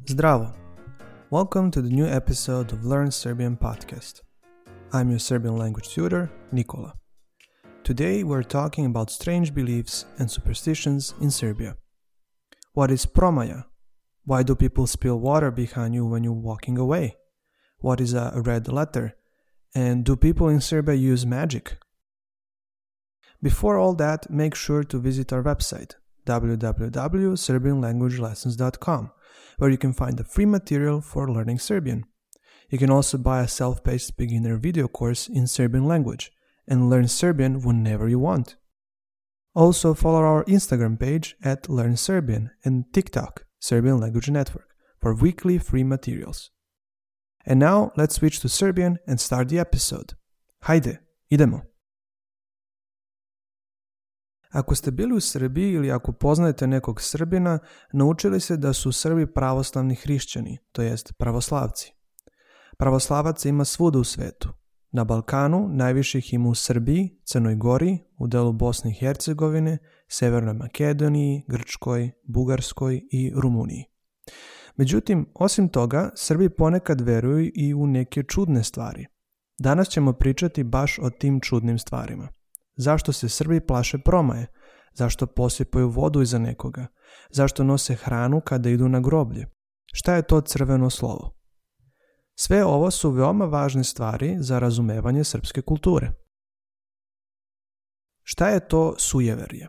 Zdravo! Welcome to the new episode of Learn Serbian podcast. I'm your Serbian language tutor, Nikola. Today we're talking about strange beliefs and superstitions in Serbia. What is promaja? Why do people spill water behind you when you're walking away? What is a red letter? And do people in Serbia use magic? Before all that, make sure to visit our website, www.serbianlanguagelessons.com, where you can find the free material for learning Serbian. You can also buy a self-paced beginner video course in Serbian language and learn Serbian whenever you want. Also follow our Instagram page at Learn Serbian and TikTok, Serbian Language Network, for weekly free materials. And now let's switch to Serbian and start the episode. Hajde, idemo! Ako ste bili u Srbiji ili ako poznajete nekog Srbina, naučili se da su Srbi pravoslavni hrišćani, to jest pravoslavci. Pravoslavaca ima svuda u svetu. Na Balkanu najviše ih ima u Srbiji, Crnoj Gori, u delu Bosne i Hercegovine, Severnoj Makedoniji, Grčkoj, Bugarskoj i Rumuniji. Međutim, osim toga, Srbi ponekad veruju i u neke čudne stvari. Danas ćemo pričati baš o tim čudnim stvarima. Zašto se Srbi plaše promaje? Zašto posipaju vodu iza nekoga? Zašto nose hranu kada idu na groblje? Šta je to crveno slovo? Sve ovo su veoma važne stvari za razumevanje srpske kulture. Šta je to sujeverje?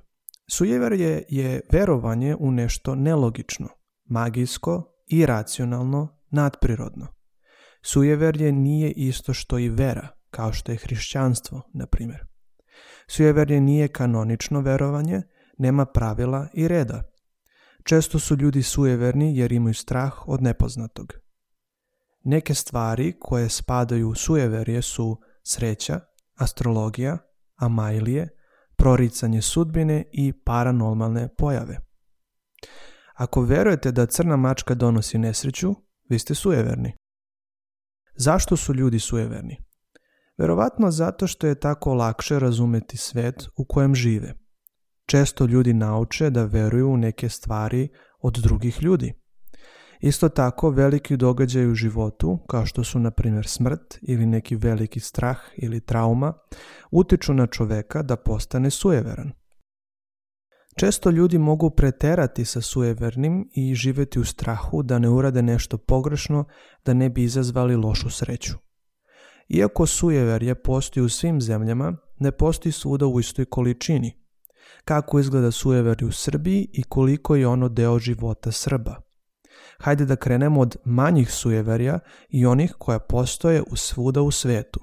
Sujeverje je verovanje u nešto nelogično, magijsko, iracionalno, nadprirodno. Sujeverje nije isto što i vera, kao što je hrišćanstvo, na primjer. Sujeverje nije kanonično verovanje, nema pravila i reda. Često su ljudi sujeverni jer imaju strah od nepoznatog. Neke stvari koje spadaju u sujeverje su sreća, astrologija, amajlije, proricanje sudbine i paranormalne pojave. Ako verujete da crna mačka donosi nesreću, vi ste sujeverni. Zašto su ljudi sujeverni? Verovatno zato što je tako lakše razumeti svet u kojem žive. Često ljudi nauče da veruju u neke stvari od drugih ljudi. Isto tako, veliki događaji u životu, kao što su na primjer smrt ili neki veliki strah ili trauma, utiču na čoveka da postane sujeveran. Često ljudi mogu preterati sa sujevernim i živjeti u strahu da ne urade nešto pogrešno, da ne bi izazvali lošu sreću. Iako sujeverje postoji u svim zemljama, ne postoji svuda u istoj količini. Kako izgleda sujeverje u Srbiji i koliko je ono deo života Srba? Hajde da krenemo od manjih sujeverja i onih koja postoje svuda u svetu.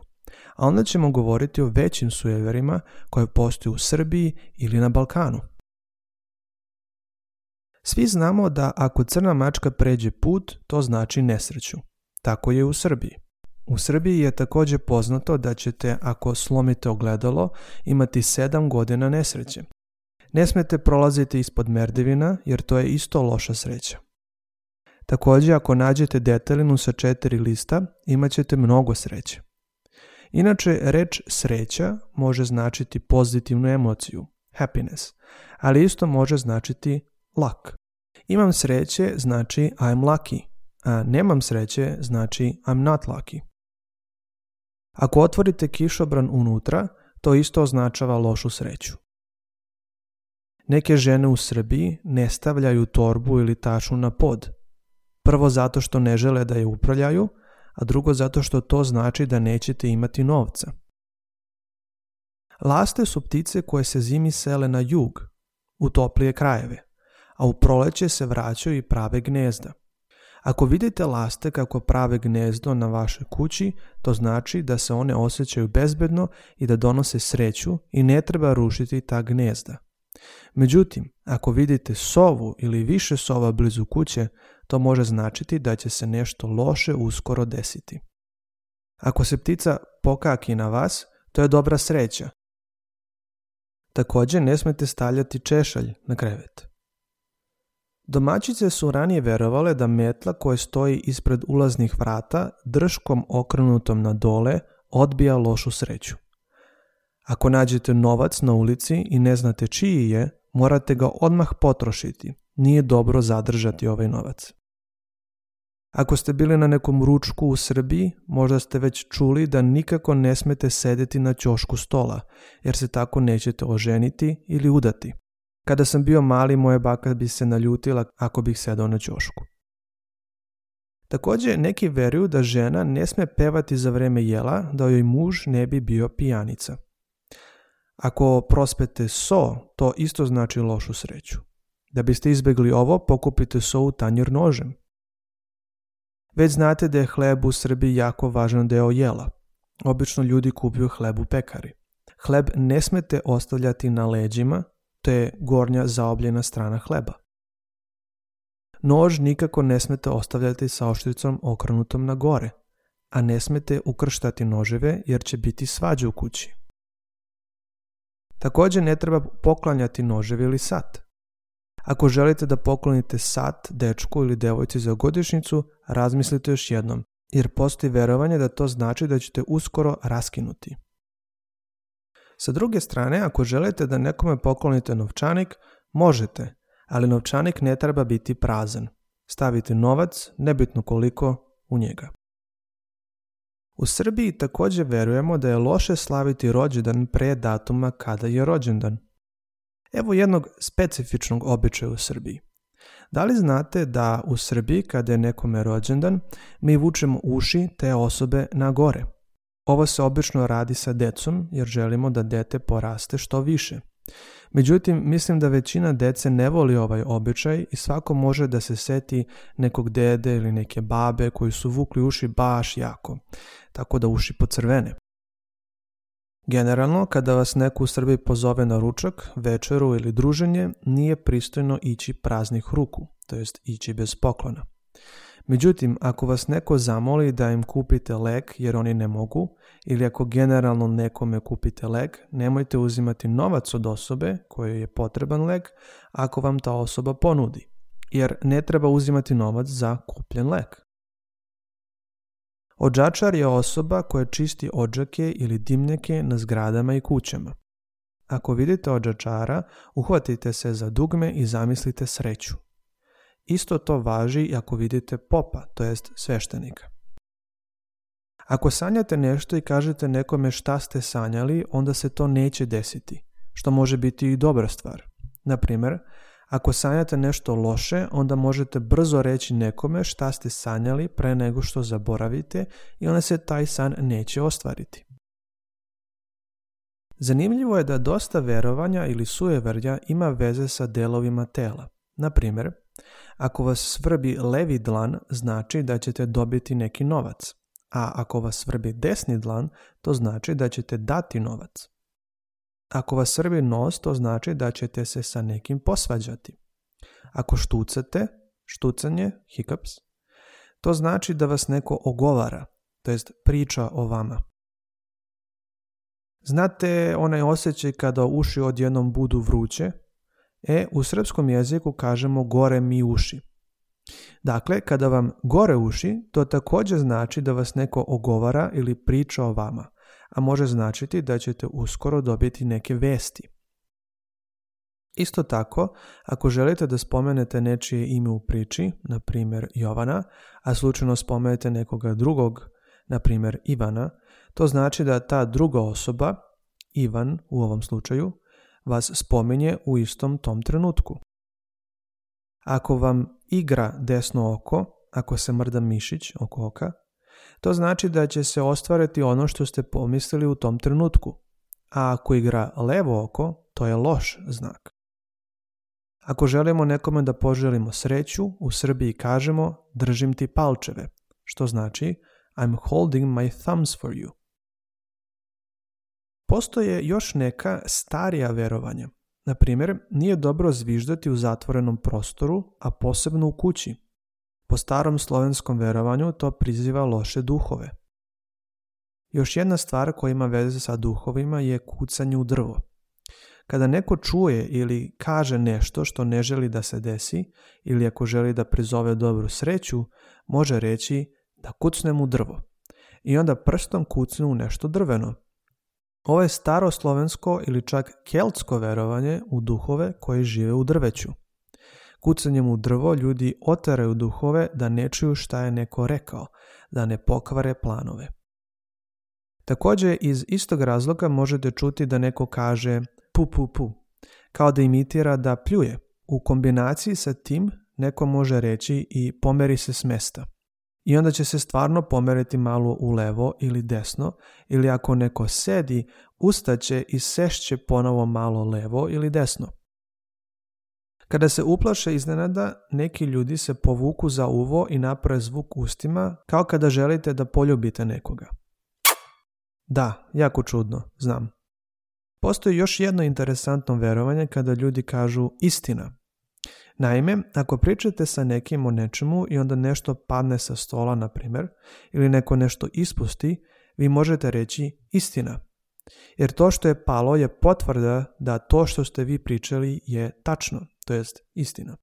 A onda ćemo govoriti o većim sujeverima koje postoje u Srbiji ili na Balkanu. Svi znamo da ako crna mačka pređe put, to znači nesreću. Tako je u Srbiji. U Srbiji je također poznato da ćete, ako slomite ogledalo, imati 7 godina nesreće. Ne smete prolaziti ispod merdevina, jer to je isto loša sreća. Također, ako nađete detelinu sa 4 lista, imat ćete mnogo sreće. Inače, reč sreća može značiti pozitivnu emociju, happiness, ali isto može značiti luck. Imam sreće znači I'm lucky, a nemam sreće znači I'm not lucky. Ako otvorite kišobran unutra, to isto označava lošu sreću. Neke žene u Srbiji ne stavljaju torbu ili tašu na pod. Prvo zato što ne žele da je uprljaju, a drugo zato što to znači da nećete imati novca. Laste su ptice koje se zimi sele na jug, u toplije krajeve, a u proleće se vraćaju i prave gnezda. Ako vidite laste kako prave gnezdo na vašoj kući, to znači da se one osjećaju bezbedno i da donose sreću i ne treba rušiti ta gnezda. Međutim, ako vidite sovu ili više sova blizu kuće, to može značiti da će se nešto loše uskoro desiti. Ako se ptica pokaki na vas, to je dobra sreća. Također ne smete stavljati češalj na krevet. Domaćice su ranije verovale da metla koja stoji ispred ulaznih vrata drškom okrenutom na dole odbija lošu sreću. Ako nađete novac na ulici i ne znate čiji je, morate ga odmah potrošiti. Nije dobro zadržati ovaj novac. Ako ste bili na nekom ručku u Srbiji, možda ste već čuli da nikako ne smete sedeti na ćošku stola, jer se tako nećete oženiti ili udati. Kada sam bio mali, moja baka bi se naljutila ako bih sedao na ćošku. Također, neki veruju da žena ne sme pevati za vreme jela, da joj muž ne bi bio pijanica. Ako prospete so, to isto znači lošu sreću. Da biste izbjegli ovo, pokupite so u tanjir nožem. Već znate da je hleb u Srbiji jako važan deo jela. Obično ljudi kupuju hleb u pekari. Hleb ne smete ostavljati na leđima, to je gornja zaobljena strana hleba. Nož nikako ne smete ostavljati sa oštricom okrenutom na gore, a ne smete ukrštati noževe jer će biti svađa u kući. Također ne treba poklanjati noževe ili sat. Ako želite da poklonite sat dečku ili devojci za godišnjicu, razmislite još jednom, jer postoji verovanje da to znači da ćete uskoro raskinuti. Sa druge strane, ako želite da nekome poklonite novčanik, možete, ali novčanik ne treba biti prazan. Stavite novac, nebitno koliko, u njega. U Srbiji također verujemo da je loše slaviti rođendan pre datuma kada je rođendan. Evo jednog specifičnog običaja u Srbiji. Da li znate da u Srbiji kada je nekome rođendan, mi vučemo uši te osobe na gore? Ovo se obično radi sa decom jer želimo da dete poraste što više. Međutim, mislim da većina dece ne voli ovaj običaj i svako može da se seti nekog dede ili neke babe koji su vukli uši baš jako, tako da uši pocrvene. Generalno, kada vas neko u Srbiji pozove na ručak, večeru ili druženje, nije pristojno ići praznih ruku, to jest ići bez poklona. Međutim, ako vas neko zamoli da im kupite lek jer oni ne mogu, ili ako generalno nekome kupite lek, nemojte uzimati novac od osobe kojoj je potreban lek ako vam ta osoba ponudi, jer ne treba uzimati novac za kupljen lek. Odžačar je osoba koja čisti odžake ili dimnjake na zgradama i kućama. Ako vidite odžačara, uhvatite se za dugme i zamislite sreću. Isto to važi i ako vidite popa, to jest sveštenika. Ako sanjate nešto i kažete nekome šta ste sanjali, onda se to neće desiti, što može biti i dobra stvar. Na primjer, ako sanjate nešto loše, onda možete brzo reći nekome šta ste sanjali pre nego što zaboravite i onda se taj san neće ostvariti. Zanimljivo je da dosta verovanja ili sujeverja ima veze sa delovima tela. Na primjer, ako vas svrbi levi dlan, znači da ćete dobiti neki novac, a ako vas svrbi desni dlan, to znači da ćete dati novac. Ako vas svrbi nos, to znači da ćete se sa nekim posvađati. Ako štucate, štucanje, hiccups, to znači da vas neko ogovara, to jest priča o vama. Znate onaj osjećaj kada uši odjednom budu vruće? U srpskom jeziku kažemo gore mi uši. Dakle, kada vam gore uši, to također znači da vas neko ogovara ili priča o vama, a može značiti da ćete uskoro dobiti neke vesti. Isto tako, ako želite da spomenete nečije ime u priči, na primjer Jovana, a slučajno spomenete nekoga drugog, na primjer Ivana, to znači da ta druga osoba, Ivan u ovom slučaju, vas spominje u istom tom trenutku. Ako vam igra desno oko, ako se mrda mišić oko oka, to znači da će se ostvariti ono što ste pomislili u tom trenutku. A ako igra levo oko, to je loš znak. Ako želimo nekome da poželimo sreću, u Srbiji kažemo držim ti palčeve, što znači I'm holding my thumbs for you. Postoje još neka starija verovanja. Na primjer, nije dobro zviždati u zatvorenom prostoru, a posebno u kući. Po starom slovenskom verovanju to priziva loše duhove. Još jedna stvar koja ima veze sa duhovima je kucanje u drvo. Kada neko čuje ili kaže nešto što ne želi da se desi, ili ako želi da prizove dobru sreću, može reći da kucnem u drvo. I onda prstom kucne u nešto drveno. Ovo je staro slovensko ili čak keltsko verovanje u duhove koji žive u drveću. Kucanjem u drvo ljudi oteraju duhove da ne čuju šta je neko rekao, da ne pokvare planove. Također, iz istog razloga možete čuti da neko kaže pu pu pu, kao da imitira da pljuje. U kombinaciji sa tim neko može reći i pomeri se s mesta. I onda će se stvarno pomeriti malo u levo ili desno, ili ako neko sedi, ustaće i sešće ponovo malo levo ili desno. Kada se uplaše iznenada, neki ljudi se povuku za uvo i naprave zvuk ustima, kao kada želite da poljubite nekoga. Da, jako čudno, znam. Postoji još jedno interesantno verovanje kada ljudi kažu istina. Naime, ako pričate sa nekim o nečemu i onda nešto padne sa stola, na primjer, ili neko nešto ispusti, vi možete reći istina. Jer to što je palo je potvrda da to što ste vi pričali je tačno, to jest istina.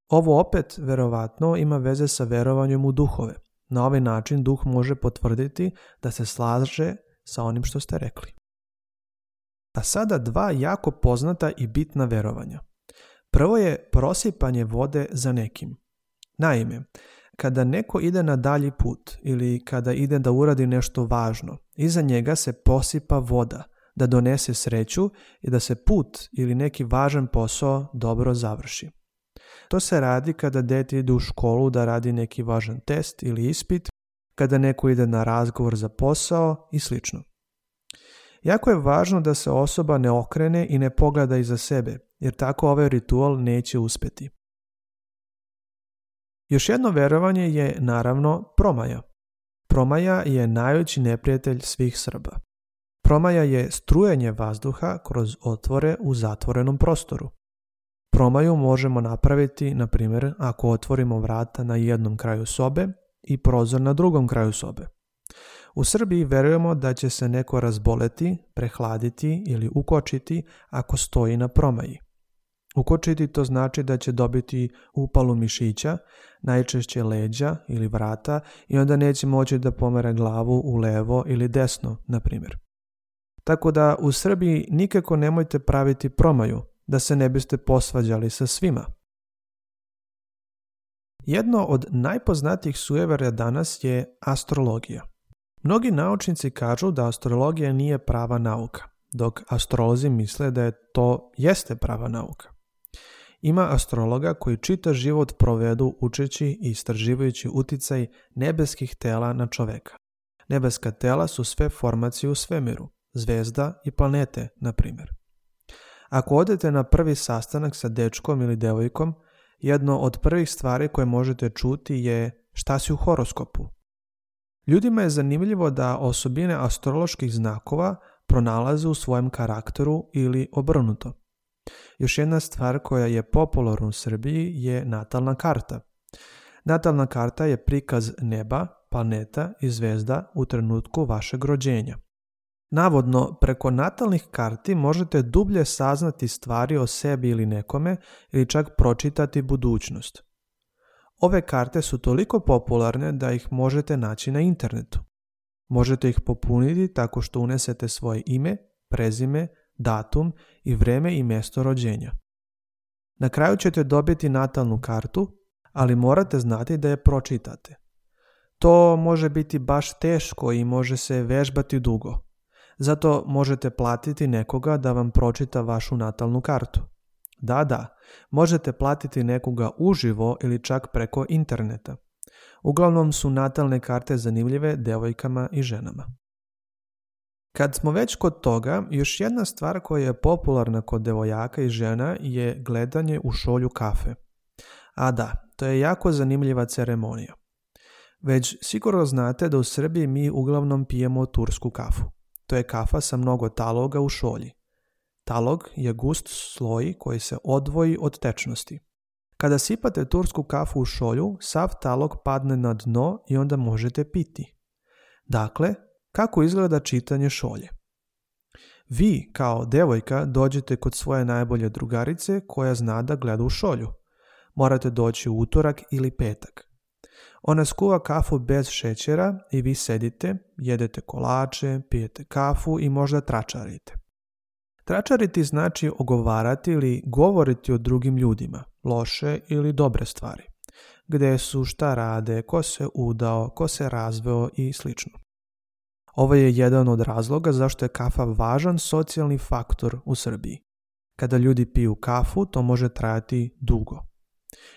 Ovo opet, verovatno, ima veze sa verovanjem u duhove. Na ovaj način duh može potvrditi da se slaže sa onim što ste rekli. A sada dva jako poznata i bitna verovanja. Prvo je prosipanje vode za nekim. Naime, kada neko ide na dalji put ili kada ide da uradi nešto važno, iza njega se posipa voda da donese sreću i da se put ili neki važan posao dobro završi. To se radi kada dete ide u školu da radi neki važan test ili ispit, kada neko ide na razgovor za posao i sl. Jako je važno da se osoba ne okrene i ne pogleda iza sebe, jer tako ovaj ritual neće uspjeti. Još jedno verovanje je naravno promaja. Promaja je najveći neprijatelj svih Srba. Promaja je strujenje vazduha kroz otvore u zatvorenom prostoru. Promaju možemo napraviti, na primjer, ako otvorimo vrata na jednom kraju sobe i prozor na drugom kraju sobe. U Srbiji verujemo da će se neko razboleti, prehladiti ili ukočiti ako stoji na promaji. Ukočiti to znači da će dobiti upalu mišića, najčešće leđa ili vrata i onda neće moći da pomere glavu u levo ili desno, na primjer. Tako da u Srbiji nikako nemojte praviti promaju, da se ne biste posvađali sa svima. Jedno od najpoznatijih sujeverja danas je astrologija. Mnogi naučnici kažu da astrologija nije prava nauka, dok astrolozi misle da to jeste prava nauka. Ima astrologa koji čitav život provedu učeći i istraživajući uticaj nebeskih tela na čoveka. Nebeska tela su sve formacije u svemiru, zvezda i planete, na primjer. Ako odete na prvi sastanak sa dečkom ili devojkom, jedno od prvih stvari koje možete čuti je šta si u horoskopu. Ljudima je zanimljivo da osobine astroloških znakova pronalaze u svojem karakteru ili obrnuto. Još jedna stvar koja je popularna u Srbiji je natalna karta. Natalna karta je prikaz neba, planeta i zvezda u trenutku vašeg rođenja. Navodno, preko natalnih karti možete dublje saznati stvari o sebi ili nekome ili čak pročitati budućnost. Ove karte su toliko popularne da ih možete naći na internetu. Možete ih popuniti tako što unesete svoje ime, prezime, datum i vreme i mjesto rođenja. Na kraju ćete dobiti natalnu kartu, ali morate znati da je pročitate. To može biti baš teško i može se vežbati dugo. Zato možete platiti nekoga da vam pročita vašu natalnu kartu. Da, možete platiti nekoga uživo ili čak preko interneta. Uglavnom su natalne karte zanimljive devojkama i ženama. Kad smo već kod toga, još jedna stvar koja je popularna kod devojaka i žena je gledanje u šolju kafe. A da, to je jako zanimljiva ceremonija. Već sigurno znate da u Srbiji mi uglavnom pijemo tursku kafu. To je kafa sa mnogo taloga u šolji. Talog je gust sloj koji se odvoji od tečnosti. Kada sipate tursku kafu u šolju, sav talog padne na dno i onda možete piti. Dakle, kako izgleda čitanje šolje? Vi, kao devojka, dođete kod svoje najbolje drugarice koja zna da gleda u šolju. Morate doći u utorak ili petak. Ona skuva kafu bez šećera i vi sedite, jedete kolače, pijete kafu i možda tračarite. Tračariti znači ogovarati ili govoriti o drugim ljudima, loše ili dobre stvari. Gde su, šta rade, ko se udao, ko se razveo i sl. Ovo je jedan od razloga zašto je kafa važan socijalni faktor u Srbiji. Kada ljudi piju kafu, to može trajati dugo.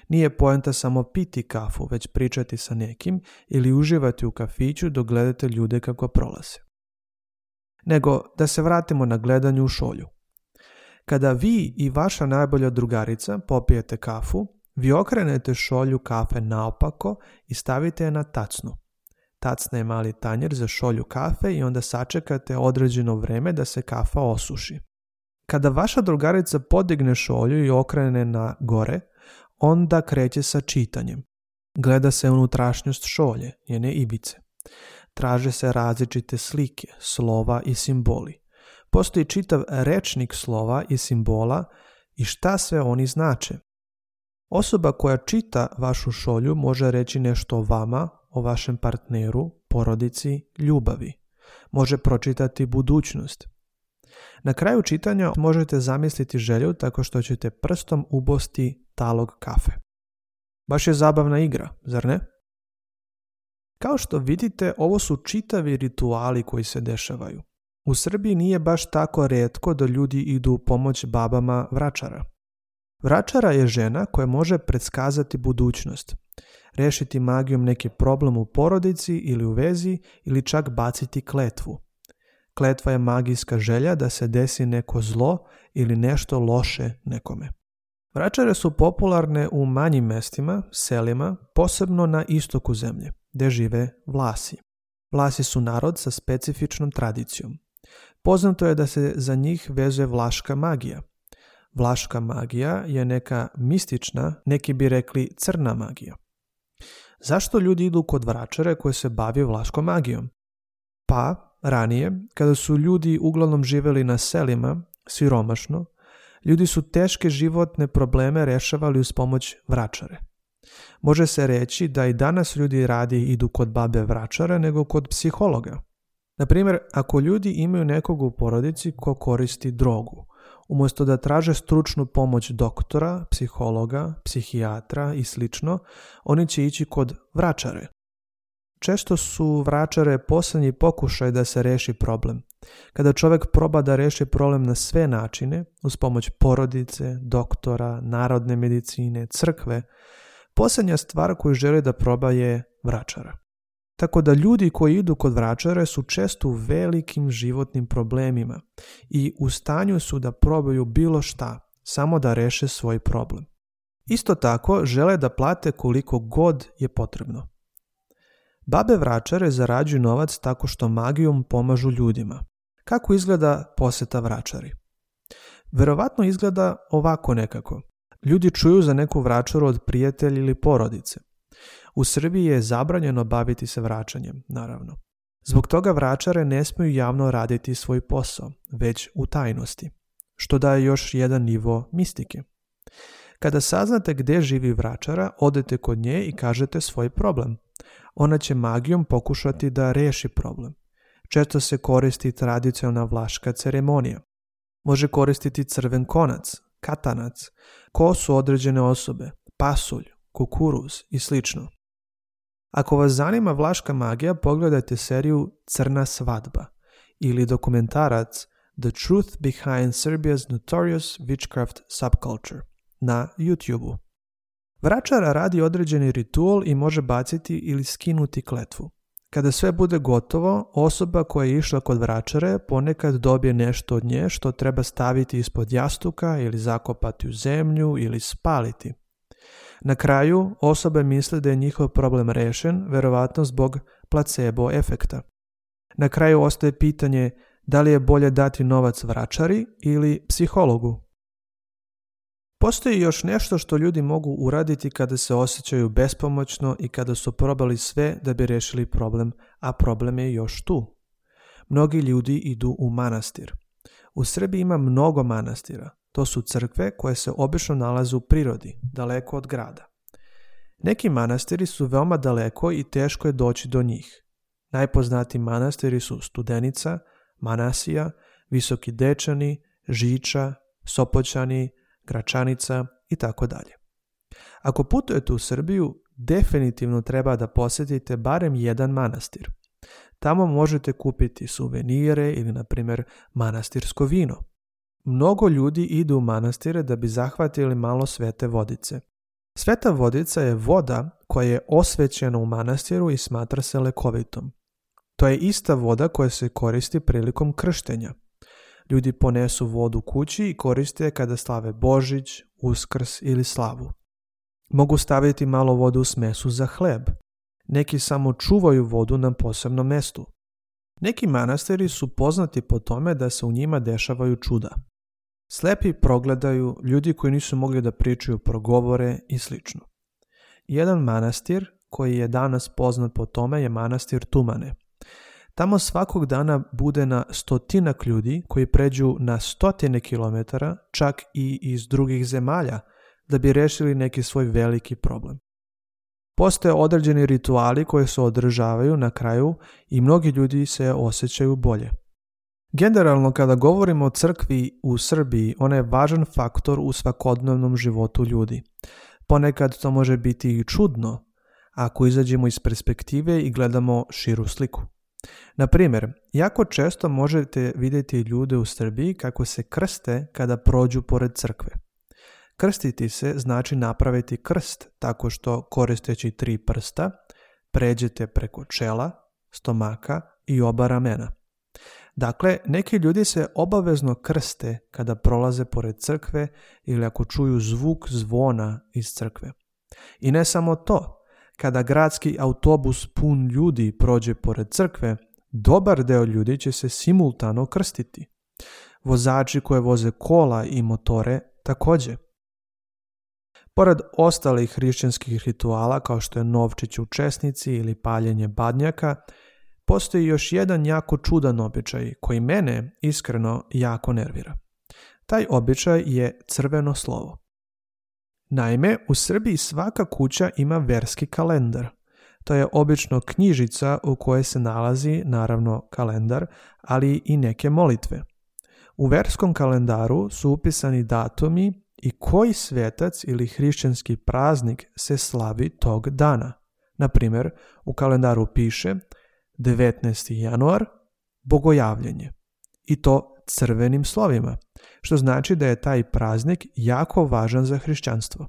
Nije poenta samo piti kafu, već pričati sa nekim ili uživati u kafiću dok gledate ljude kako prolaze. Nego da se vratimo na gledanju u šolju. Kada vi i vaša najbolja drugarica popijete kafu, vi okrenete šolju kafe naopako i stavite je na tacnu. Tacna je mali tanjer za šolju kafe i onda sačekate određeno vreme da se kafa osuši. Kada vaša drugarica podigne šolju i okrene na gore, onda kreće sa čitanjem. Gleda se unutrašnjost šolje, njene ivice. Traže se različite slike, slova i simboli. Postoji čitav rečnik slova i simbola i šta sve oni znače. Osoba koja čita vašu šolju može reći nešto o vama, o vašem partneru, porodici, ljubavi. Može pročitati budućnost. Na kraju čitanja možete zamisliti želju tako što ćete prstom ubosti talog kafe. Baš je zabavna igra, zar ne? Kao što vidite, ovo su čitavi rituali koji se dešavaju. U Srbiji nije baš tako rijetko da ljudi idu u pomoć babama vračara. Vračara je žena koja može predskazati budućnost, rešiti magijom neki problem u porodici ili u vezi ili čak baciti kletvu. Kletva je magijska želja da se desi neko zlo ili nešto loše nekome. Vračare su popularne u manjim mestima, selima, posebno na istoku zemlje, gdje žive Vlasi. Vlasi su narod sa specifičnom tradicijom. Poznato je da se za njih vezuje vlaška magija. Vlaška magija je neka mistična, neki bi rekli crna magija. Zašto ljudi idu kod vračare koji se bavi vlaškom magijom? Pa, ranije, kada su ljudi uglavnom živjeli na selima, siromašno, ljudi su teške životne probleme rešavali uz pomoć vračare. Može se reći da i danas ljudi radije idu kod babe vračare nego kod psihologa. Na primjer, ako ljudi imaju nekog u porodici ko koristi drogu, umjesto da traže stručnu pomoć doktora, psihologa, psihijatra i sl., oni će ići kod vračare. Često su vračare posljednji pokušaj da se reši problem. Kada čovjek proba da reši problem na sve načine, uz pomoć porodice, doktora, narodne medicine, crkve, posljednja stvar koju želi da proba je vračara. Tako da ljudi koji idu kod vračare su često u velikim životnim problemima i u stanju su da probaju bilo šta, samo da reše svoj problem. Isto tako žele da plate koliko god je potrebno. Babe vračare zarađuju novac tako što magijom pomažu ljudima. Kako izgleda poseta vračari? Verovatno izgleda ovako nekako. Ljudi čuju za neku vračaru od prijatelja ili porodice. U Srbiji je zabranjeno baviti se vraćanjem, naravno. Zbog toga vračare ne smiju javno raditi svoj posao, već u tajnosti, što daje još jedan nivo mistike. Kada saznate gdje živi vračara, odete kod nje i kažete svoj problem. Ona će magijom pokušati da reši problem. Često se koristi tradicionalna vlaška ceremonija. Može koristiti crven konac, katanac, kosu određene osobe, pasulj, kukuruz i sl. Ako vas zanima vlaška magija, pogledajte seriju Crna svadba ili dokumentarac The Truth Behind Serbia's Notorious Witchcraft Subculture na YouTube-u. Vračara radi određeni ritual i može baciti ili skinuti kletvu. Kada sve bude gotovo, osoba koja je išla kod vračare ponekad dobije nešto od nje što treba staviti ispod jastuka ili zakopati u zemlju ili spaliti. Na kraju, osobe misle da je njihov problem rešen, verovatno zbog placebo efekta. Na kraju ostaje pitanje da li je bolje dati novac vračari ili psihologu. Postoji još nešto što ljudi mogu uraditi kada se osjećaju bespomoćno i kada su probali sve da bi rešili problem, a problem je još tu. Mnogi ljudi idu u manastir. U Srbiji ima mnogo manastira. To su crkve koje se obično nalaze u prirodi, daleko od grada. Neki manastiri su veoma daleko i teško je doći do njih. Najpoznatiji manastiri su Studenica, Manasija, Visoki Dečani, Žiča, Sopoćani, Gračanica i tako dalje. Ako putujete u Srbiju, definitivno treba da posjetite barem jedan manastir. Tamo možete kupiti suvenire ili, na primjer, manastirsko vino. Mnogo ljudi idu u manastire da bi zahvatili malo svete vodice. Sveta vodica je voda koja je osvećena u manastiru i smatra se lekovitom. To je ista voda koja se koristi prilikom krštenja. Ljudi ponesu vodu kući i koriste je kada slave Božić, Uskrs ili slavu. Mogu staviti malo vode u smesu za hleb. Neki samo čuvaju vodu na posebnom mestu. Neki manastiri su poznati po tome da se u njima dešavaju čuda. Slepi progledaju, ljudi koji nisu mogli da pričaju progovore i sl. Jedan manastir koji je danas poznat po tome je manastir Tumane. Tamo svakog dana bude na stotinak ljudi koji pređu na 100 kilometara, čak i iz drugih zemalja, da bi rešili neki svoj veliki problem. Postoje određeni rituali koji se održavaju na kraju i mnogi ljudi se osjećaju bolje. Generalno, kada govorimo o crkvi u Srbiji, ona je važan faktor u svakodnevnom životu ljudi. Ponekad to može biti i čudno, ako izađemo iz perspektive i gledamo širu sliku. Na primjer, jako često možete vidjeti ljude u Srbiji kako se krste kada prođu pored crkve. Krstiti se znači napraviti krst tako što, koristeći 3 prsta, pređete preko čela, stomaka i oba ramena. Dakle, neki ljudi se obavezno krste kada prolaze pored crkve ili ako čuju zvuk zvona iz crkve. I ne samo to, kada gradski autobus pun ljudi prođe pored crkve, dobar deo ljudi će se simultano krstiti. Vozači koje voze kola i motore također. Pored ostalih hrišćanskih rituala kao što je novčić u česnici ili paljenje badnjaka, postoji još jedan jako čudan običaj koji mene iskreno jako nervira. Taj običaj je crveno slovo. Naime, u Srbiji svaka kuća ima verski kalendar. To je obično knjižica u kojoj se nalazi, naravno, kalendar, ali i neke molitve. U verskom kalendaru su upisani datumi i koji svetac ili hrišćanski praznik se slavi tog dana. Na primjer, u kalendaru piše 19. januar, Bogojavljenje. I to crvenim slovima, što znači da je taj praznik jako važan za hrišćanstvo.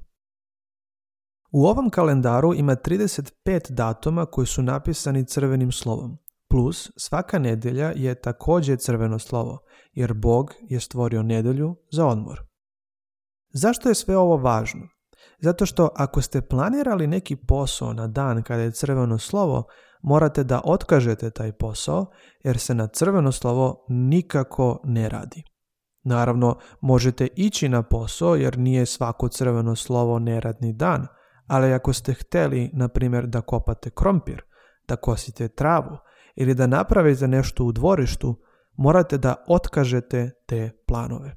U ovom kalendaru ima 35 datuma koji su napisani crvenim slovom, plus svaka nedjelja je također crveno slovo, jer Bog je stvorio nedjelju za odmor. Zašto je sve ovo važno? Zato što ako ste planirali neki posao na dan kada je crveno slovo, morate da otkažete taj posao jer se na crveno slovo nikako ne radi. Naravno, možete ići na posao jer nije svako crveno slovo neradni dan, ali ako ste htjeli, na primjer, da kopate krompir, da kosite travu ili da napravite nešto u dvorištu, morate da otkažete te planove.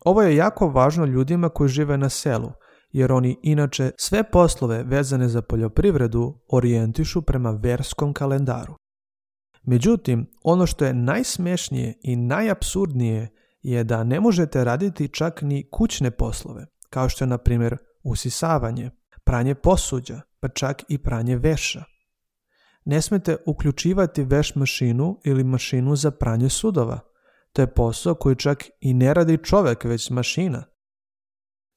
Ovo je jako važno ljudima koji žive na selu, jer oni inače sve poslove vezane za poljoprivredu orijentišu prema verskom kalendaru. Međutim, ono što je najsmešnije i najapsurdnije je da ne možete raditi čak ni kućne poslove, kao što je, na primjer, usisavanje, pranje posuđa, pa čak i pranje veša. Ne smete uključivati veš mašinu ili mašinu za pranje sudova. To je posao koji čak i ne radi čovjek, već mašina.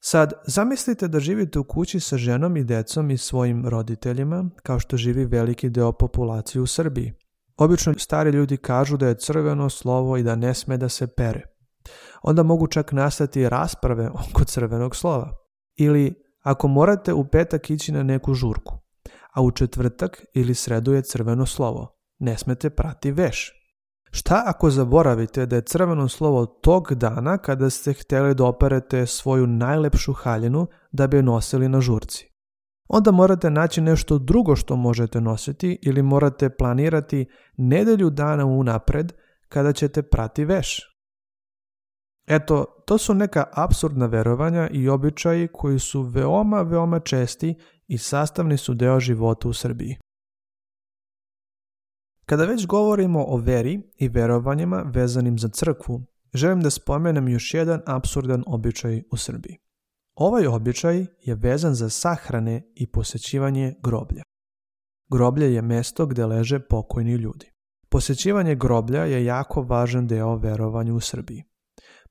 Sad, zamislite da živite u kući sa ženom i decom i svojim roditeljima, kao što živi veliki deo populacije u Srbiji. Obično stari ljudi kažu da je crveno slovo i da ne sme da se pere. Onda mogu čak nastati rasprave oko crvenog slova. Ili ako morate u petak ići na neku žurku, a u četvrtak ili sredu je crveno slovo, ne smete prati veš. Šta ako zaboravite da je crveno slovo tog dana kada ste htjeli da operete svoju najlepšu haljinu da bi je nosili na žurci? Onda morate naći nešto drugo što možete nositi ili morate planirati nedelju dana unapred kada ćete prati veš. Eto, to su neka apsurdna verovanja i običaji koji su veoma česti i sastavni su deo života u Srbiji. Kada već govorimo o veri i verovanjima vezanim za crkvu, želim da spomenem još jedan apsurdan običaj u Srbiji. Ovaj običaj je vezan za sahrane i posjećivanje groblja. Groblje je mjesto gdje leže pokojni ljudi. Posjećivanje groblja je jako važan deo verovanja u Srbiji.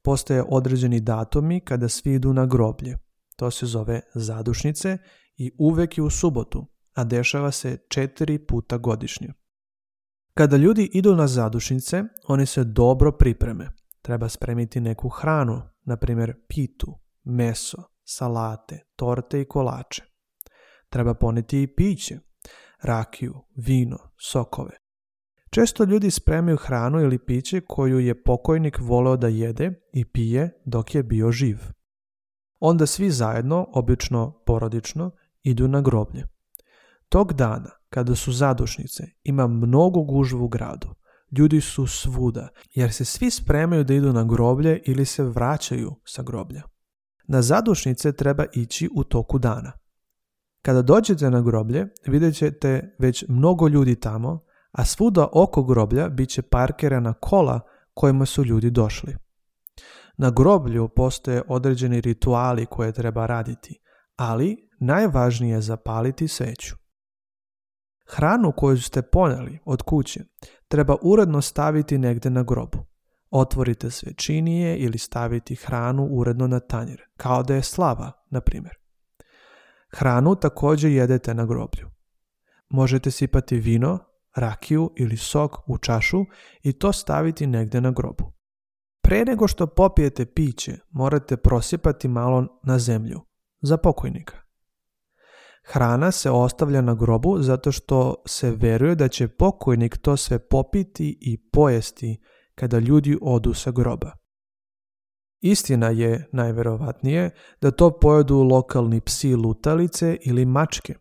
Postoje određeni datumi kada svi idu na groblje. To se zove zadušnice i uvek je u subotu, a dešava se 4 puta godišnje. Kada ljudi idu na zadušnice, oni se dobro pripreme. Treba spremiti neku hranu, na primjer pitu, meso, salate, torte i kolače. Treba poneti i piće, rakiju, vino, sokove. Često ljudi spremaju hranu ili piće koju je pokojnik voleo da jede i pije dok je bio živ. Onda svi zajedno, obično porodično, idu na groblje. Tog dana, kada su zadušnice, ima mnogo gužvu u gradu. Ljudi su svuda, jer se svi spremaju da idu na groblje ili se vraćaju sa groblja. Na zadušnice treba ići u toku dana. Kada dođete na groblje, vidjet ćete već mnogo ljudi tamo, a svuda oko groblja bit će parkirana kola kojima su ljudi došli. Na groblju postoje određeni rituali koje treba raditi, ali najvažnije je zapaliti sveću. Hranu koju ste ponijeli od kuće treba uredno staviti negdje na grobu. Otvorite svećinije ili staviti hranu uredno na tanjir, kao da je slava, na primjer. Hranu također jedete na groblju. Možete sipati vino, rakiju ili sok u čašu i to staviti negdje na grobu. Pre nego što popijete piće, morate prosipati malo na zemlju, za pokojnika. Hrana se ostavlja na grobu zato što se veruje da će pokojnik to sve popiti i pojesti kada ljudi odu sa groba. Istina je, najverovatnije, da to pojedu lokalni psi lutalice ili mačke.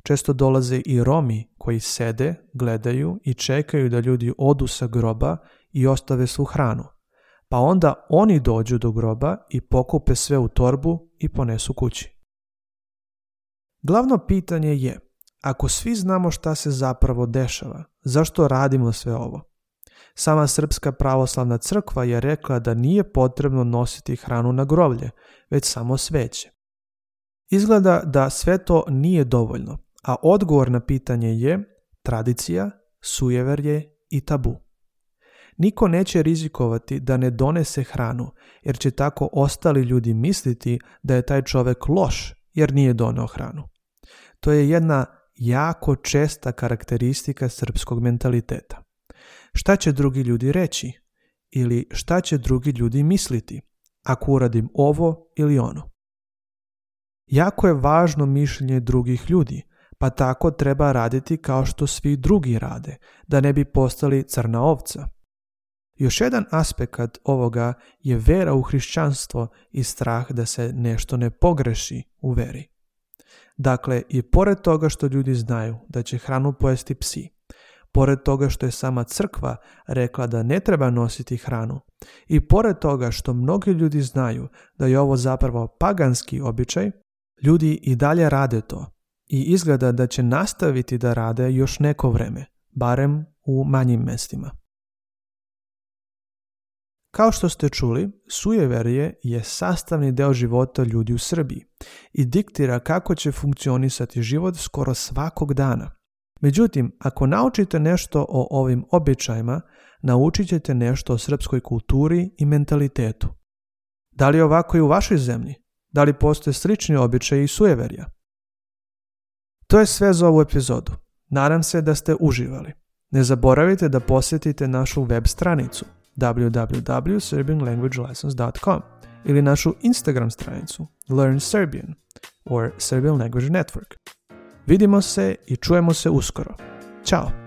Često dolaze i Romi koji sede, gledaju i čekaju da ljudi odu sa groba i ostave svu hranu. Pa onda oni dođu do groba i pokupe sve u torbu i ponesu kući. Glavno pitanje je, ako svi znamo šta se zapravo dešava, zašto radimo sve ovo? Sama Srpska pravoslavna crkva je rekla da nije potrebno nositi hranu na groblje, već samo sveće. Izgleda da sve to nije dovoljno, a odgovor na pitanje je tradicija, sujeverje i tabu. Niko neće rizikovati da ne donese hranu, jer će tako ostali ljudi misliti da je taj čovjek loš jer nije doneo hranu. To je jedna jako česta karakteristika srpskog mentaliteta. Šta će drugi ljudi reći? Ili šta će drugi ljudi misliti ako uradim ovo ili ono? Jako je važno mišljenje drugih ljudi, pa tako treba raditi kao što svi drugi rade, da ne bi postali crna ovca. Još jedan aspekt ovoga je vera u hrišćanstvo i strah da se nešto ne pogreši u veri. Dakle, i pored toga što ljudi znaju da će hranu pojesti psi, pored toga što je sama crkva rekla da ne treba nositi hranu, i pored toga što mnogi ljudi znaju da je ovo zapravo paganski običaj, ljudi i dalje rade to i izgleda da će nastaviti da rade još neko vreme, barem u manjim mestima. Kao što ste čuli, sujeverje je sastavni deo života ljudi u Srbiji i diktira kako će funkcionisati život skoro svakog dana. Međutim, ako naučite nešto o ovim običajima, naučit ćete nešto o srpskoj kulturi i mentalitetu. Da li je ovako i u vašoj zemlji? Da li postoje slični običaji i sujeverja? To je sve za ovu epizodu. Nadam se da ste uživali. Ne zaboravite da posjetite našu web stranicu www.serbianlanguagelessons.com ili našu Instagram stranicu Learn Serbian or Serbian Language Network. Vidimo se i čujemo se uskoro. Ćao!